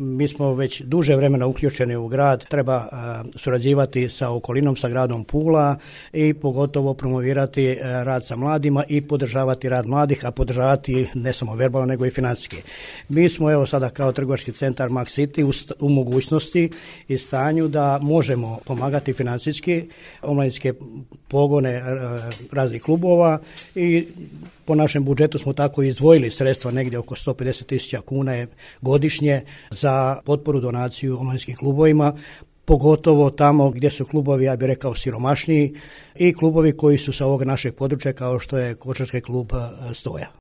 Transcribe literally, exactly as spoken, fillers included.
Mi smo već duže vremena uključeni u grad, treba surađivati sa okolinom, sa gradom Pula i pogotovo promovirati rad sa mladima i podržavati rad mladih, a podržavati ne samo verbalno nego i financijski. Mi smo evo sada kao trgovački centar Max City u, u mogućnosti i stanju da možemo pomagati financijski omladinske pogone raznih klubova i po našem budžetu smo tako izdvojili sredstva negdje oko sto pedeset tisuća kuna godišnje za potporu donaciju omladinskim klubovima, pogotovo tamo gdje su klubovi, ja bih rekao, siromašniji i klubovi koji su sa ovog našeg područja kao što je košarkaški klub Stoja.